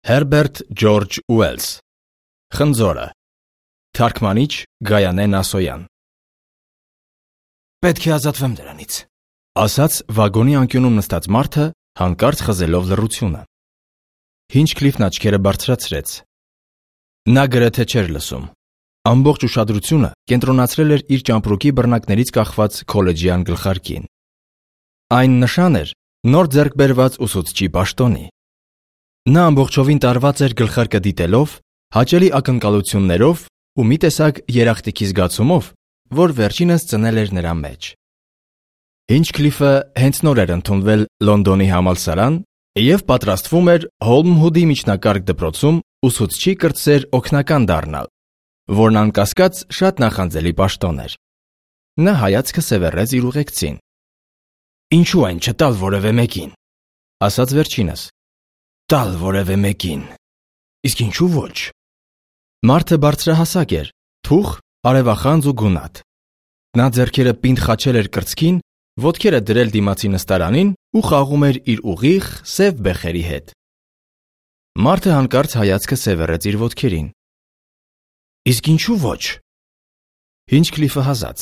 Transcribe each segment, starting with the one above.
Հերբերտ Ջորջ Ուելս Խնձորը Թարգմանիչ Գայանե Նասոյան Պետք է ազատվեմ դրանից, ասաց վագոնի անկյունում նստած մարդը, հանկարծ խզելով լռությունը։ Հինչքլիֆն աչքերը բարձրացրեց։ Նա գրեթե չէր լսում։ Ամբողջ ուշադրությունը կենտրոնացրել էր իր ճամպրուկի բռնակներից կախված քոլեջյան գլխարկին։ Այն նշան էր նոր ձեռք բերված ուսուցչի պաշտոնի։ Նա ամբողջովին տարված էր գլխարկը դիտելով, հաճելի ակնկալություններով ու մի տեսակ երախտիկի զգացումով, որ վերջինս ծնել էր նրա մեջ։ Հինչքլիֆը հենց նոր էր ընդունվել Լոնդոնի համալսարան և պատրաստվում էր Հոլմհուդի միջնակարգ դպրոցում ուսուցչի կրտսեր օգնական դառնալ, որն անկասկած շատ նախանձելի պաշտոն էր։ Նա հայացքը սևեռեց իր ուղեկցին։ Ինչու այն չտալ որևէ մեկին, ասաց վերջինս։ տալ որևէ մեկին, իսկ ինչու ոչ։ Մարդը բարձրահասակ էր, թուխ, արևախանձ ու գունատ։ Նա ձեռքերը պինդ խաչել էր կրծքին, ոտքերը դրել դիմացի նստարանին ու խաղում էր իր ուղիղ, սև բեխերի հետ։ Մարդը հանկարծ հայացքը սևեռեց իր ոտքերին։ Իսկ ինչու ոչ։ Հինչքլիֆը հազաց։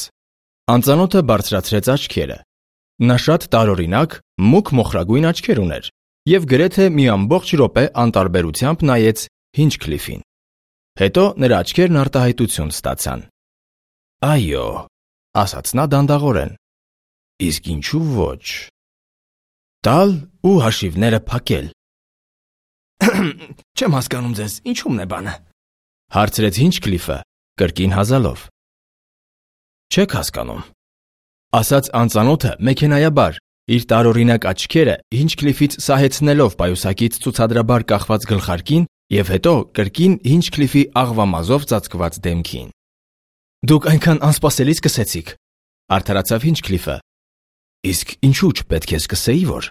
Անծանոթը բարձրացրեց աչքերը։ Նա շատ տարօրինակ, մուգ մոխրագույն աչքեր ուներ և գրեթե մի ամբողջ րոպե անտարբերությամբ նայեց Հինչքլիֆին։ Հետո նրա աչքերն արտահայտություն ստացան։ Այո, ասաց նա դանդաղորեն։ Իսկ ինչու ոչ։ Տալ ու հաշիվները փակել։ Չեմ հասկանում ձեզ, ինչու՞մն է բանը, հարցրեց Հինչքլիֆը, կրկին հազալով։ Չեք հասկանում, ասաց անծանոթը մեքենայաբար, իր տարօրինակ աչքերը Հինչքլիֆից սահեցնելով պայուսակից ցուցադրաբար կախված գլխարկին և հետո կրկին Հինչքլիֆի աղվամազով ծածկված դեմքին։ Դուք այնքան անսպասելի սկսեցիք, արդարացավ Հինչքլիֆը։ Իսկ ինչու չպետք է սկսեի, որ,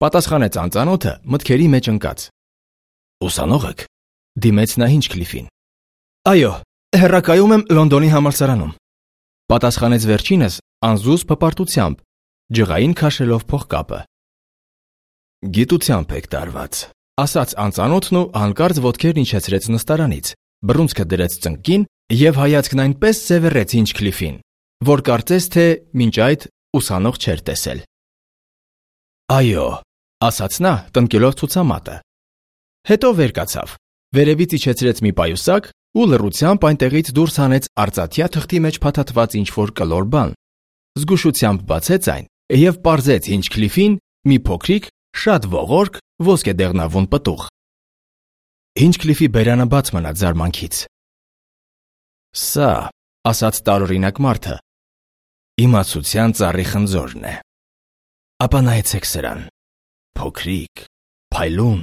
պատասխանեց անծանոթը մտքերի մեջ ընկած։ Ուսանող եք, դիմեց նա Հինչքլիֆին։ Այո, հեռակայում եմ Լոնդոնի համալսարանում, պատասխանեց վերջինս անզուզ փպարտությամբ, ջղային քաշելով փողկապը։ Գիտությամբ եք տարված, ասաց անծանոթն ու հանկարծ ոտքերն իջեցրեց նստարանից, բռունցքը դրեց ծնկին և հայացքն այնպես սևեռեց Հինչքլիֆին, որ կարծես թե մինչ այդ ուսանող չէր տեսել։ Այո, ասաց նա տնկելով ցուցամատը։ Հետո վեր կացավ, վերևից իջեցրեց մի պայուսակ ու լռությամբ այնտեղից դուրս հանեց արծաթյա թղթի մեջ փաթաթված ինչ-որ կլոր բան։ Զգուշությամբ բացեց այն և պարզեց Հինչքլիֆին մի փոքրիկ, շատ ողորկ, ոսկեդեղնավուն պտուղ։ Հինչքլիֆի բերանը բաց մնաց զարմանքից։ Սա, ասաց տարօրինակ մարդը, իմացության ծառի խնձորն է։ Ապա նայեցեք սրան, փոքրիկ, փայլուն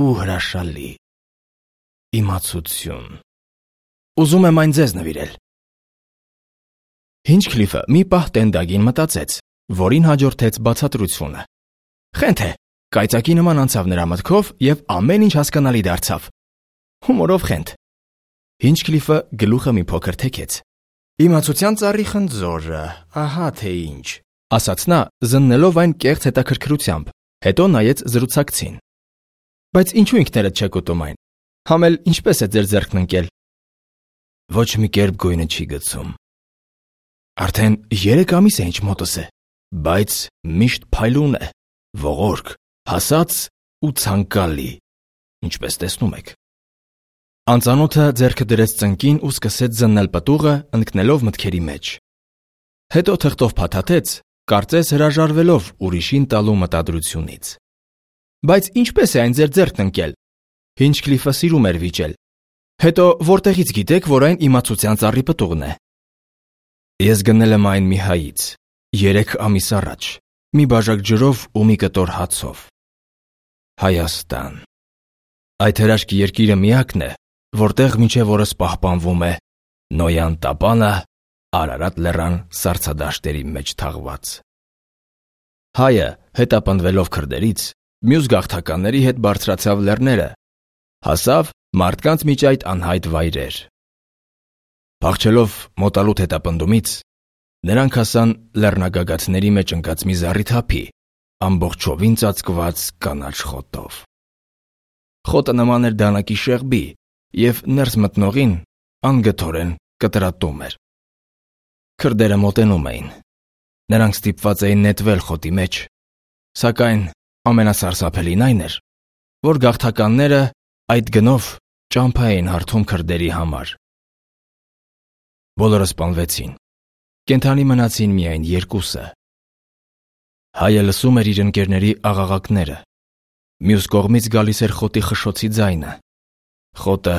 ու հրաշալի։ Իմացություն։ Ուզում եմ այն ձեզ նվիրել։ Հինչքլիֆը մի պահ տենդագին մտածեց, որին հաջորդեց բացատրությունը։ Խենթ է, կայծակի նման անցավ նրա մտքով և ամեն ինչ հասկանալի դարձավ։ Հումորով խենթ։ Հինչքլիֆը գլուխը մի փոքր թեքեց։ Իմացության ծառի խնձորը, ահա թե ինչ, ասաց նա, զննելով այն կեղծ հետաքրքրությամբ, հետո նայեց զրուցակցին։ Բայց ինչու ինքներդ չեք ուտում այն։ Համ էլ ինչպես է ձեր ձեռքն ընկել։ Ոչ մի կերպ գույնը չի գցում։ Արդեն 3 ամիս է ինչ մոտս է, բայց միշտ փայլուն է, ողորկ, հասած ու ցանկալի, ինչպես տեսնում եք։ Անծանոթը ձեռքը դրեց ծնկին ու սկսեց զննել պտուղը, ընկնելով մտքերի մեջ։ Հետո թղթով փաթաթեց, կարծես հրաժարվելով ուրիշին տալու մտադրությունից։ Բայց ինչպես է այն ձեր ձեռքն ընկել։ Հինչքլիֆը սիրում էր վիճել։ Հետո որտեղից գիտեք, որ այն իմացության ծառի պտուղն է։ Ես գնել եմ այն մի հայից 3 ամիս առաջ, մի բաժակ ջրով ու մի կտոր հացով։ Հայաստան։ Այդ հրաշք երկիրը միակն է, որտեղ մինչև օրս պահպանվում է Նոյան տապանը Արարատ լեռան սառցադաշտերի մեջ թաղված։ Հայը, հետապնդվելով քրդերից, մյուս գաղթականների հետ բարձրացավ լեռները, հասավ մարդկանց միջ այդ անհայտ վայրեր։ Փախչելով մոտալուտ հետապնդումից, նրանք հասան լեռնագագաթների մեջ ընկած մի զառիթափի, ամբողջովին ծածկված կանաչ խոտով։ Խոտը նման էր դանակի շեղբի և ներս մտնողին անգթորեն կտրատում էր։ Քրդերը մոտենում էին։ Նրանք ստիպված էին նետվել խոտի մեջ, սակայն ամենասարսափելին այն էր, որ գաղթականները այդ գնով ճամփա էին հարթում քրդերի համար։ Բոլորը սպանվեցին։ Կենդանի մնացին միայն երկուսը։ Հայը լսում էր իր ընկերների աղաղակները։ Մյուս կողմից գալիս էր խոտի խշշոցի ձայնը։ Խոտը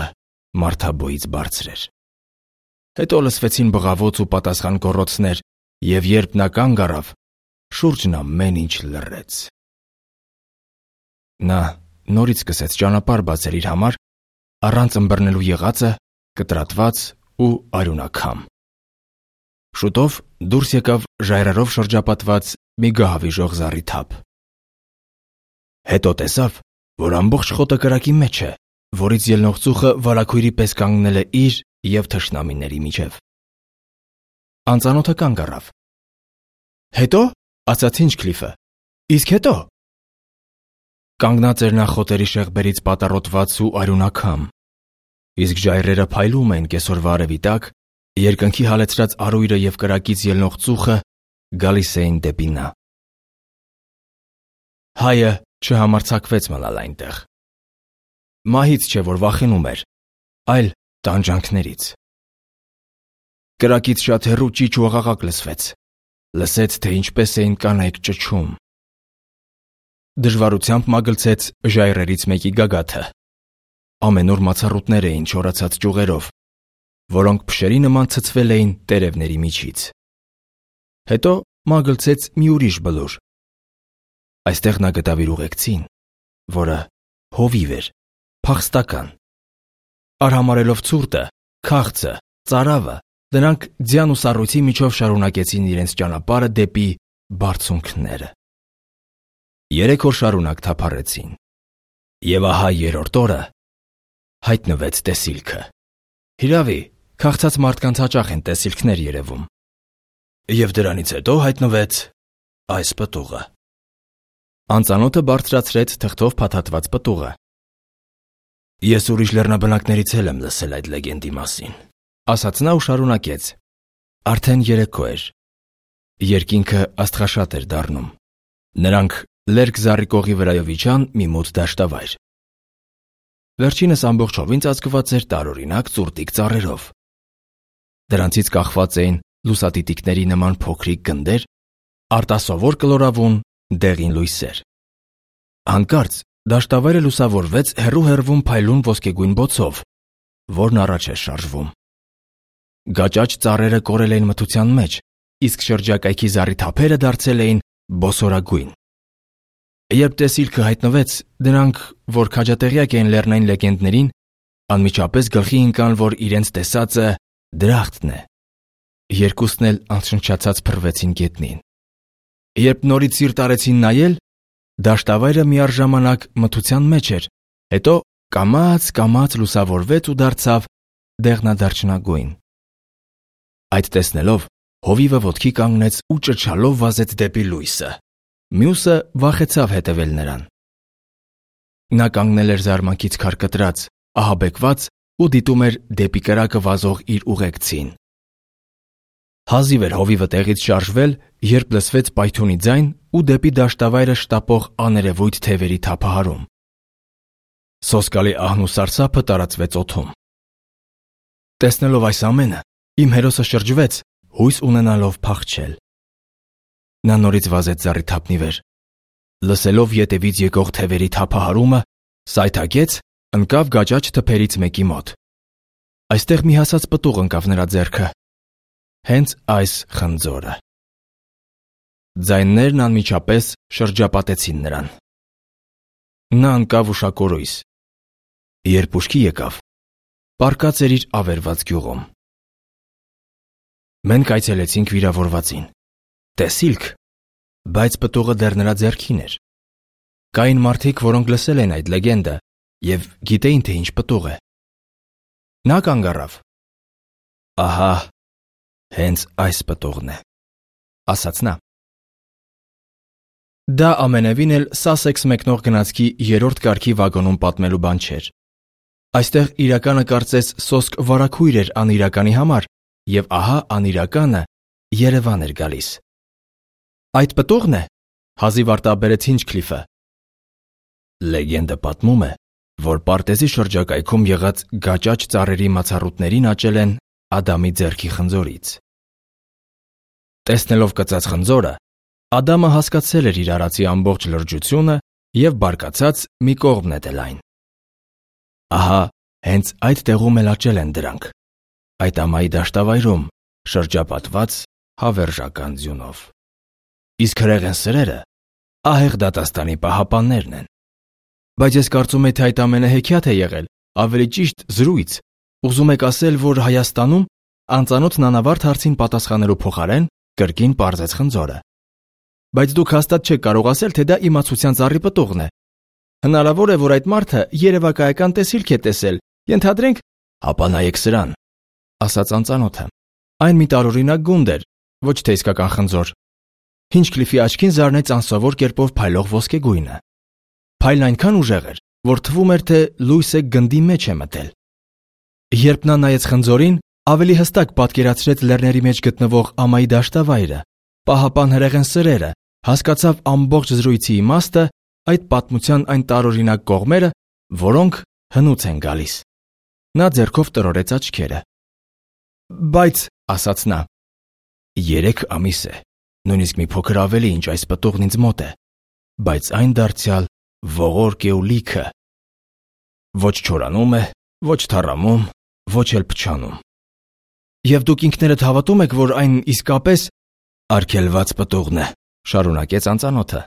մարդաբոյից բարձր էր։ Հետո լսվեցին բղավոց ու պատասխան գոռոցներ, և երբ նա կանգ առավ, շուրջն ամեն ինչ լռեց։ Նա նորից սկսեց ճանապարհ բացել իր համար, առանց ըմբռնելու եղածը, կտրատված ու արյունաքամ։ Շուտով դուրս եկավ ժայռերով շրջապատված մի գահավիժող զառիթափ։ Հետո տեսավ, որ ամբողջ խոտը կրակի մեջ է, որից ելնող ծուխը վարագույրի պես կանգնել է իր և թշնամիների միջև։ Անծանոթը կանգ առավ։ «Հետո՞», ասաց Հինչքլիֆը, «իսկ հետո»։ Կանգնած էր նա խոտերի շեղբերից պատառոտված ու արյունաքամ, իսկ ժայռերը փայլում էին կեսօրվա արևի տակ, երկնքի հալեցրած արույրը և կրակից ելնող ծուխը գալիս էին դեպի նա։ Հայը չհամարձակվեց մնալ այնտեղ։ Մահից չէ, որ վախենում էր, այլ տանջանքներից։ Կրակից շատ հեռու ճիչ ու աղաղակ լսվեց։ Լսեց, թե ինչպես էին կանայք ճչում։ Դժվարությամբ մագլցեց ժայռերից մեկի գագաթը։ Ամենուր մացառուտներ էին չորացած ճյուղերով, որոնք փշերի նման ցցվել էին տերևների միջից։ Հետո մագլցեց մի ուրիշ բլուր։ Այստեղ նա գտավ իր ուղեկցին, որը հովիվ էր, փախստական։ Արհամարհելով ցուրտը, քաղցը, ծարավը, դրանք ձյան ու սառույցի միջով շարունակեցին իրենց ճանապարհը դեպի բարձունքները։ 3 օր շարունակ թափառեցին։ Եվ ահա երրորդ օրը հայտնվեց տեսիլքը։ Հիրավի, քաղցած մարդկանց հաճախ են տեսիլքներ երևում։ Եվ դրանից հետո հայտնվեց այս պտուղը։ Անծանոթը բարձրացրեց թղթով փաթաթված պտուղը։ Ես ուրիշ լեռնաբնակներից էլ եմ լսել այդ լեգենդի մասին, ասաց նա ու շարունակեց։ Արդեն երեկո էր։ Երկինքը աստղաշատ էր դառնում։ Նրանք Լերկ զառիկողի վրայով իջան մի մութ դաշտավայր։ Վերջինս ամբողջովին ծածկված էր տարօրինակ ծուրտիկ ծառերով։ Դրանցից կախված էին լուսատիտիկների նման փոքրիկ գնդեր, արտասովոր կլորավուն դեղին լույսեր։ Հանկարծ դաշտավայրը լուսավորվեց հեռու-հեռվում փայլուն ոսկեգույն բոցով, որն առաջ էր շարժվում։ Գաճաճ ծառերը կորել էին մթության մեջ, իսկ շրջակայքի զառիթափերը դարձել էին բոսորագույն։ Երբ տեսիլքը հայտնվեց, դրանք, որ քաջատեղյակ էին լեռնային լեգենդներին, անմիջապես գլխի ընկան, որ իրենց տեսածը դրախտն է։ Երկուսն էլ անշնչացած փռվեցին գետնին։ Երբ նորից սիրտ արեցին նայել, դաշտավայրը միառժամանակ մթության մեջ էր, հետո կամաց լուսավորվեց ու դարձավ դեղնադարչնագույն։ Այդ տեսնելով, հովիվը ոտքի կանգնեց ու ճչալով վազեց դեպի լույսը։ Մյուսը վախեցավ հետևել նրան։ Նա կանգնել էր զարմանքից քարկտրած, ահաբեկված ու դիտում էր դեպի կրակը վազող իր ուղեկցին։ Հազիվ էր հովիվը տեղից շարժվել, երբ լսվեց պայթյունի ձայն ու դեպի դաշտավայրը շտապող աներևույթ թևերի թափահարում։ Սոսկալի ահն ու սարսափը տարածվեց օդում։ Տեսնելով այս ամենը, իմ հերոսը շրջվեց, հույս ունենալով փախչել։ Նա նորից վազեց զառիթափնի վեր։ Լսելով ետևից եկող թևերի թափահարումը, սայթաքեց, ընկավ գաճաճ թփերից մեկի մոտ։ Այստեղ մի հասած պտուղ ընկավ նրա ձեռքը։ Հենց այս խնձորը։ Ձայներն անմիջապես շրջապատեցին նրան։ Նա ընկավ ուշակորույս։ Երբ ուշքի եկավ, պառկած էր իր ավերված գյուղում։ Մենք այցելեցինք վիրավորվածին։ Տեսիլք, բայց պտուղը դեռ նրա ձեռքին էր։ Կային մարդիկ, որոնք լսել են այդ լեգենդը և գիտեին, թե ինչ պտուղ է։ Նա կանգ առավ։ Ահա, հենց այս պտուղն է, ասաց նա։ Դա ամենևին էլ Սասեքս մեկնող գնացքի 3-րդ կարգի վագոնում պատմելու բան չէր։ Այստեղ իրականը կարծես սոսկ վարագույր էր անիրականի համար, եւ ահա անիրականը Երևան էր գալիս։ Այդ պտուղն է, հազիվ արտաբերեց Հինչքլիֆը։ Լեգենդը պատմում է, որ Պարտեզի շրջակայքում եղած գաճաճ ծառերի մացառուտներին աճել են Ադամի ձեռքի խնձորից։ Տեսնելով կծած խնձորը, Ադամը հասկացել էր իր արածի ամբողջ լրջությունը եւ բարկացած մի կողմ նետել այն։ Ահա, հենց այդ տեղում էլ աճել են դրանք, այդ ամայի դաշտավայրում, շրջապատված հավերժական ձյունով։ Իսկ հրեղեն սրերը ահեղ դատաստանի պահապաններն են։ Բայց ես կարծում եմ, թե այդ ամենը հեքիաթ է եղել, ավելի ճիշտ զրույց։ Ուզում եք ասել, որ Հայաստանում անծանոթ նանավարդ հարցին պատասխանելու փոխարեն կրկին պարզեց խնձորը։ Բայց դուք հաստատ չեք կարող ասել, թե դա իմացության ծառի պտուղն է։ Հնարավոր է, որ այդ մարդը երևակայական տեսիլք է տեսել, ենթադրենք, ապա նայեք սրան, ասաց անծանոթը։ Այն մի տարօրինակ գունդ էր, ոչ թե իսկական խնձոր։ Հինչքլիֆի աչքին զարնեց անսովոր կերպով փայլող ոսկեգույնը։ Փայլն այնքան ուժեղ էր, որ թվում էր, թե լույսը գնդի մեջ է մտել։ Երբ նա նայեց խնձորին, ավելի հստակ պատկերացրեց լեռների մեջ գտնվող ամայի դաշտավայրը, պահապան հրեղեն սրերը, հասկացավ ամբողջ զրույցի իմաստը, այդ պատմության այն տարօրինակ կողմերը, որոնք հնուց են գալիս։ Նա ձեռքով տրորեց աչքերը։ Բայց, ասաց նա, 3 ամիս է, նույնիսկ մի փոքր ավելի, ինչ այս պտուղն ինձ մոտ է, բայց այն դարձյալ ողորկ է ու լիքը։ Ոչ չորանում է, ոչ թառամում, ոչ էլ փչանում։ Եվ դուք ինքներդ հավատում եք, որ այն իսկապես արգելված պտուղն է, շարունակեց անծանոթը։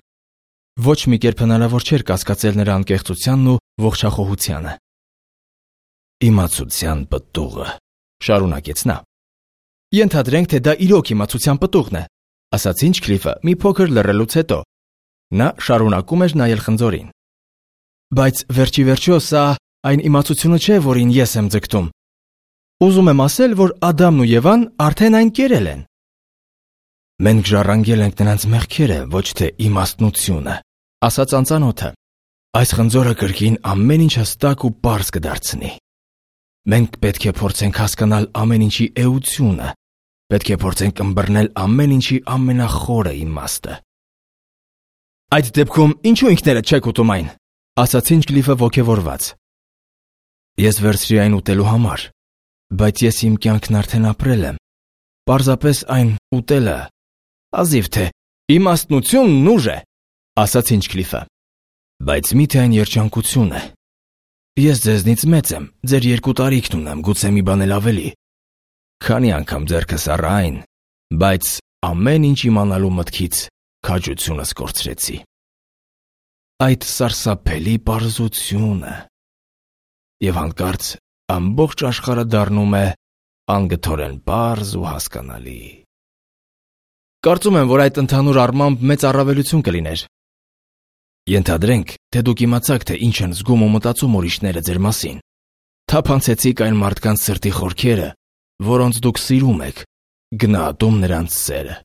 Ոչ մի կերպ հնարավոր չէր կասկածել նրա անկեղծությանն ու ողջախոհությանը։ Իմացության պտուղը, շարունակեց նա։ Ենթադրենք, թե դա իրոք իմացության պտուղն է, ասաց Հինչքլիֆը մի փոքր լռելուց հետո։ Նա շարունակում էր նայել խնձորին։ Բայց վերջի վերջո սա այն իմացությունը չէ, որին ես եմ ձգտում։ Ուզում եմ ասել, որ Ադամն ու Եվան արդեն այն կերել են։ Մենք ժառանգել ենք նրանց մեղքերը, ոչ թե իմաստնությունը, ասաց անծանոթը։ Այս խնձորը կրկին ամեն ինչ հստակ ու պարզ կդարձնի։ Մենք պետք է փորձենք հասկանալ ամեն ինչի էությունը, պետք է փորձենք ըմբռնել ամեն ինչի ամենախորը իմաստը։ Այդ դեպքում ինչու ինքներդ չեք ուտում այն, ասաց Հինչքլիֆը ոգևորված։ Ես վերցրի այն ուտելու համար, բայց ես իմ կյանքն արդեն ապրել եմ։ Պարզապես այն ուտելը ազիվ թե իմաստնությունն ուժ է, ասաց Հինչքլիֆը։ Բայց միթե այն երջանկություն է։ Ես ձեզնից մեծ եմ, ձեր 2 տարիքն ունեմ, գուցե մի բան էլ ավելի։ Քանի անգամ ձեռքս առա այն, բայց ամեն ինչ իմանալու մտքից քաջությունս կորցրեցի։ Այդ սարսափելի պարզությունը։ Եվ հանկարծ ամբողջ աշխարհը դառնում է անգթորեն պարզ ու հասկանալի։ Կարծում եմ, որ այդ ընդհանուր առմամբ մեծ առավելություն կլիներ։ Ենթադրենք, թե դուք իմացաք, թե ինչ են զգում ու մտածում ուրիշները ձեր մասին։ Թափանցեցիք այն մարդկանց սրտի խորքերը, որոնց դուք սիրում եք, գնահատում նրանց սերը։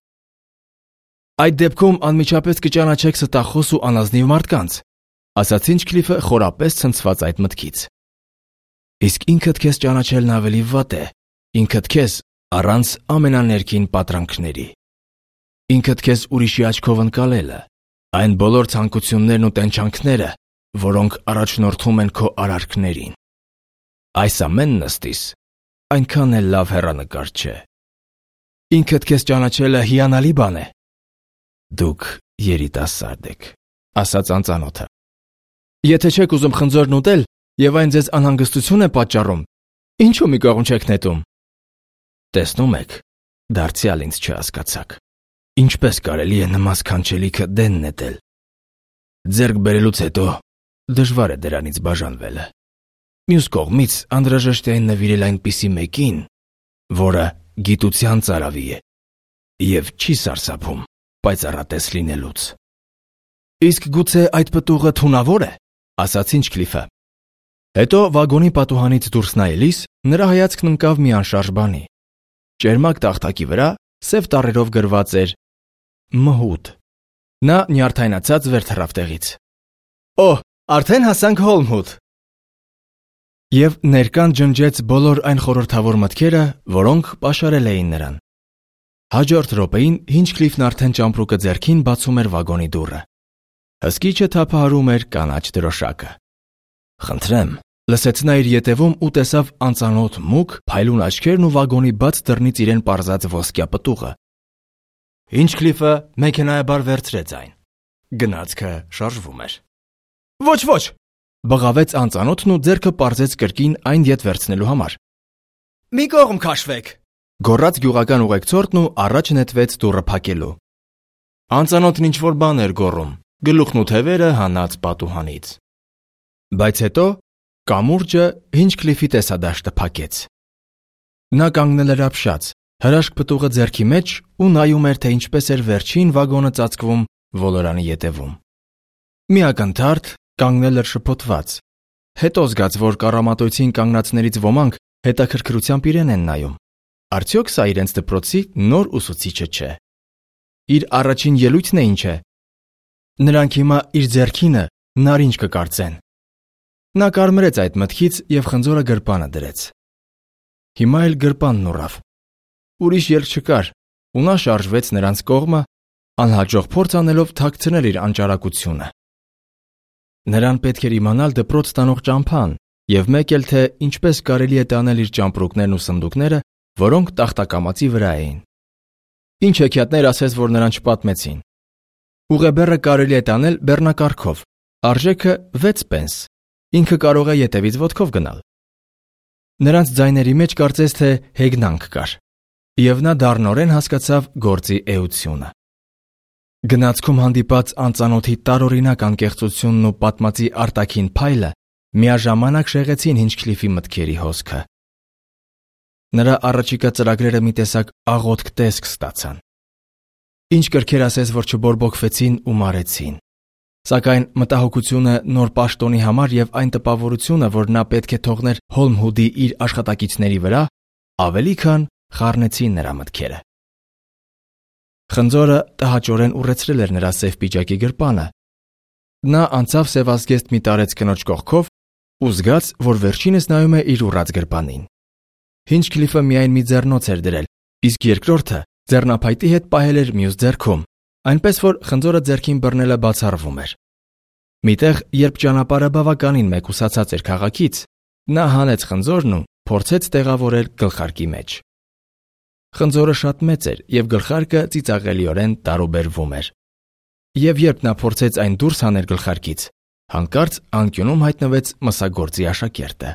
Այդ դեպքում անմիջապես կճանաչեք ստախոս ու անազնիվ մարդկանց, ասաց Հինչքլիֆը խորապես ցնցված այդ մտքից։ Իսկ ինքդ քեզ ճանաչելն ավելի վատ է, ինքդ քեզ առանց ամենաներկին պատրանքների։ Ինքդ քեզ ուրիշի աչքով ընկալելը, այն բոլոր ցանկություններն ու տենչանքները, որոնք առաջնորդում են քո արարքներին։ Այս ամենն ըստիս այնքան էլ լավ հեռանկար չէ։ Ինքդ քեզ ճանաչելը հիանալի բան է։ Դուք երիտասարդ եք, ասաց անծանոթը։ Եթե չեք ուզում խնձորն ուտել եւ այն ձեզ անհանգստություն է պատճառում, ինչու մի կողմ չեք նետում։ Տեսնում եք, դարձյալ ինձ չհասկացաք։ Ինչպես կարելի է նման սքանչելիքը դեն նետել։ Ձեռք բերելուց հետո դժվար է դրանից բաժանվելը։ Մյուս կողմից անհրաժեշտ է այն նվիրել այնպիսի մեկին, որը գիտության ծարավի է եւ չի սարսափում պայծառատես լինելուց։ Իսկ գուցե այդ պտուղը թունավոր է, ասաց Հինչքլիֆը։ Հետո վագոնի պատուհանից դուրս նայելիս նրա հայացքն ընկավ մի անշարժ բանի։ Ճերմակ տախտակի վրա սև տառերով գրված էր Մհուդ։ Նա նյարդայնացած վեր թռավ տեղից։ Օհ, արդեն հասանք Հոլմհուդ։ Եվ ներկան ջնջեց բոլոր այն խորհրդավոր մտքերը, որոնք պաշարել էին նրան։ Հաջորդ րոպեին Հինչքլիֆն արդեն ճամպրուկը ձեռքին բացում էր վագոնի դուռը։ Հսկիչը թափահարում էր կանաչ դրոշակը։ Խնդրեմ, լսեց նա իր ետևում ու տեսավ անծանոթ մուգ, փայլուն աչքերն ու վագոնի բաց դռնից իրեն պարզած ոսկյա պտուղը։ Հինչքլիֆը մեքենայաբար վերցրեց այն։ Գնացքը շարժվում էր։ Ոչ, բղավեց անծանոթն ու ձեռքը պարզեց կրկին այն ետ վերցնելու համար։ Մի կողմ քաշվեք, գոռաց գյուղական ուղեկցորդն ու առաջ նետվեց դուռը փակելու։ Անծանոթն ինչ-որ բան էր գոռում, գլուխն ու թևերը հանած պատուհանից։ Բայց հետո կամուրջը Հինչքլիֆի տեսադաշտը փակեց։ Նա կանգնել էր ապշած, հրաշք պտուղը ձեռքի մեջ ու նայում էր, թե ինչպես էր վերջին վագոնը ծածկվում ոլորանի ետևում։ Մի ակնթարթ կանգնել էր շփոթված։ Հետո զգաց, որ կառամատույցին կանգնածներից ոմանք հետաքրքրությամբ իրեն են նայում։ Արդյոք սա իրենց դպրոցի նոր ուսուցիչը չէ։ Իր առաջին ելույթն է ինչ է։ Նրանք հիմա իր ձեռքինը նարինջ կկարծեն։ Նա կարմրեց այդ մտքից և խնձորը գրպանը դրեց։ Հիմա էլ գրպանն ուռավ։ Ուրիշ ելք չկար, ու նա շարժվեց նրանց կողմը, անհաջող փորձ անելով թաքցնել իր անճարակությունը։ Նրան պետք էր իմանալ դպրոց տանող ճամփան և մեկ էլ թե ինչպես կարելի է տանել իր ճամպրուկներն ու սնդուկները, որոնք տախտակամածի վրա էին։ Ինչ հեքիաթներ ասես, որ նրան չպատմեցին։ Ուղեբեռը կարելի է տանել բեռնակարգով, արժեքը 6 պենս, ինքը կարող է ետևից ոտքով գնալ։ Նրանց ձայների մեջ կարծես թե հեգնանք կար, և նա դառնորեն հասկացավ գործի էությունը։ Գնացքում հանդիպած անծանոթի տարօրինակ անկեղծությունն ու պատմածի արտաքին փայլը միաժամանակ շեղեցին Հինչքլիֆի մտքերի հոսքը։ Նրա առաջիկա ծրագրերը մի տեսակ աղոթք տեսք ստացան։ Ինչ կրքեր ասես, որ չբորբոքվեցին ու մարեցին։ Սակայն մտահոգությունը նոր պաշտոնի համար և այն տպավորությունը, որ նա պետք է թողներ Հոլմհուդի իր աշխատակիցների վրա, ավելի քան խառնեցին նրա մտքերը։ Խնձորը տհաճորեն ուռեցրել էր նրա սև պիջակի գրպանը։ Նա անցավ սևազգեստ մի տարեց կնոջ կողքով ու զգաց, որ վերջինս նայում է իր ուռած գրպանին։ Հինչքլիֆը միայն մի ձեռնոց էր դրել, իսկ երկրորդը ձեռնափայտի հետ պահել էր մյուս ձեռքում, այնպես որ խնձորը ձեռքին բռնելը բացառվում էր։ Միտեղ, երբ ճանապարհը բավականին մեկուսացած էր քաղաքից, նա հանեց խնձորն ու փորձեց տեղավորել գլխարկի մեջ։ Խնձորը շատ մեծ էր և գլխարկը ծիծաղելիորեն տարուբերվում էր։ Եվ երբ նա փորձեց այն դուրս հանել գլխարկից, հանկարծ անկյունում հայտնվեց մսագործի աշակերտը։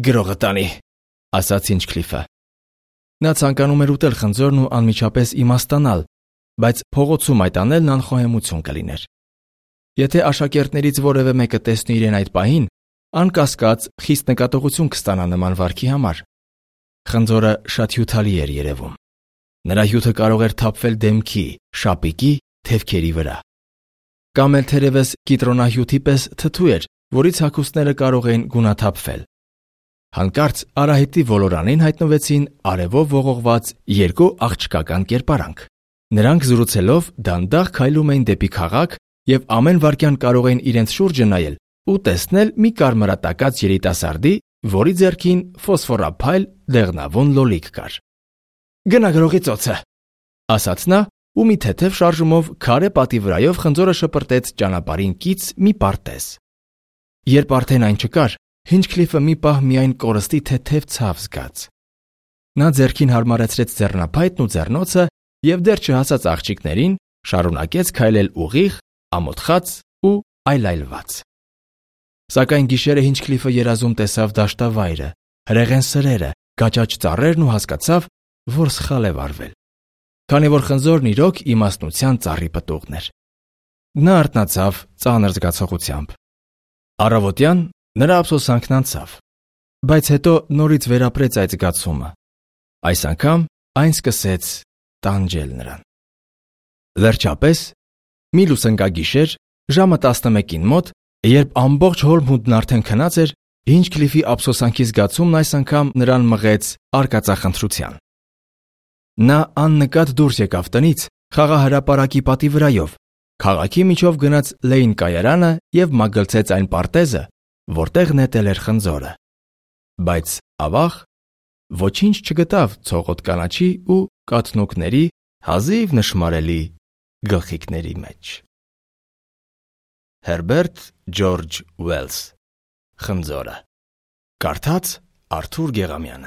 Գրողը տանի, ասաց Հինչքլիֆը։ Նա ցանկանում էր ուտել խնձորն ու անմիջապես իմաստանալ, բայց փողոցում այդ անելն անխոհեմություն կլիներ։ Եթե աշակերտներից որևէ մեկը տեսնի իրեն այդ պահին, անկասկած խիստ նկատողություն կստանա նման վարքի համար։ Խնձորը շատ հյութալի էր երևում։ Նրա հյութը կարող էր թափվել դեմքի, շապիկի, թևքերի վրա։ Կամ էլ թերևս կիտրոնահյութի պես թթու էր, որից հագուստները կարող էին գունաթափվել։ Հանկարծ արահետի ոլորանին հայտնվեցին արևով ողողված երկու աղջկական կերպարանք։ Նրանք զրուցելով դանդաղ քայլում էին դեպի քաղաք և ամեն վայրկյան կարող էին իրենց շուրջը նայել ու տեսնել մի կարմրատակած երիտասարդի, որի ձեռքին ֆոսֆորափայլ դեղնավուն լոլիկ կար։ Գնա գրողի ծոցը, ասաց նա ու մի թեթև շարժումով քարե պատի վրայով խնձորը շպրտեց ճանապարհին կից մի պարտեզ։ Երբ արդեն այն չկար, Հինչքլիֆը մի պահ միայն կորստի թեթև ցավ զգաց։ Նա ձեռքին հարմարեցրեց ձեռնափայտն ու ձեռնոցը և դեռ չհասած աղջիկներին շարունակեց քայլել ուղիղ, ամոթխած ու այլայլված։ Սակայն գիշերը Հինչքլիֆը երազում տեսավ դաշտավայրը, հրեղեն սրերը, գաճաճ ծառերն ու հասկացավ, որ սխալ է վարվել, քանի որ խնձորն իրոք իմաստնության ծառի պտուղն էր։ Նա արթնացավ ծանր զգացողությամբ։ Առավոտյան նրա ափսոսանքն անցավ, բայց հետո նորից վերապրեց այդ զգացումը։ Այս անգամ այն սկսեց տանջել նրան։ Վերջապես, մի լուսնկագիշեր, ժամը 11-ին մոտ, երբ ամբողջ Հոլմհուդն արդեն քնած էր, Հինչքլիֆի ափսոսանքի զգացումն այս անգամ նրան մղեց արկածախնդրության։ Նա աննկատ դուրս եկավ տնից խաղահրապարակի պատի վրայով Քաղաքի միջով գնաց Լեյն կայարանը և մագլցեց այն պարտեզը, որտեղ նետել էր խնձորը, բայց ավաղ ոչինչ չգտավ ցողոտ կանաչի ու կաթնուկների հազիվ նշմարելի գլխիկների մեջ։ Հերբերտ Ջորջ Ուելս Խնձորը։ Կարդաց Արթուր Գեղամյանը։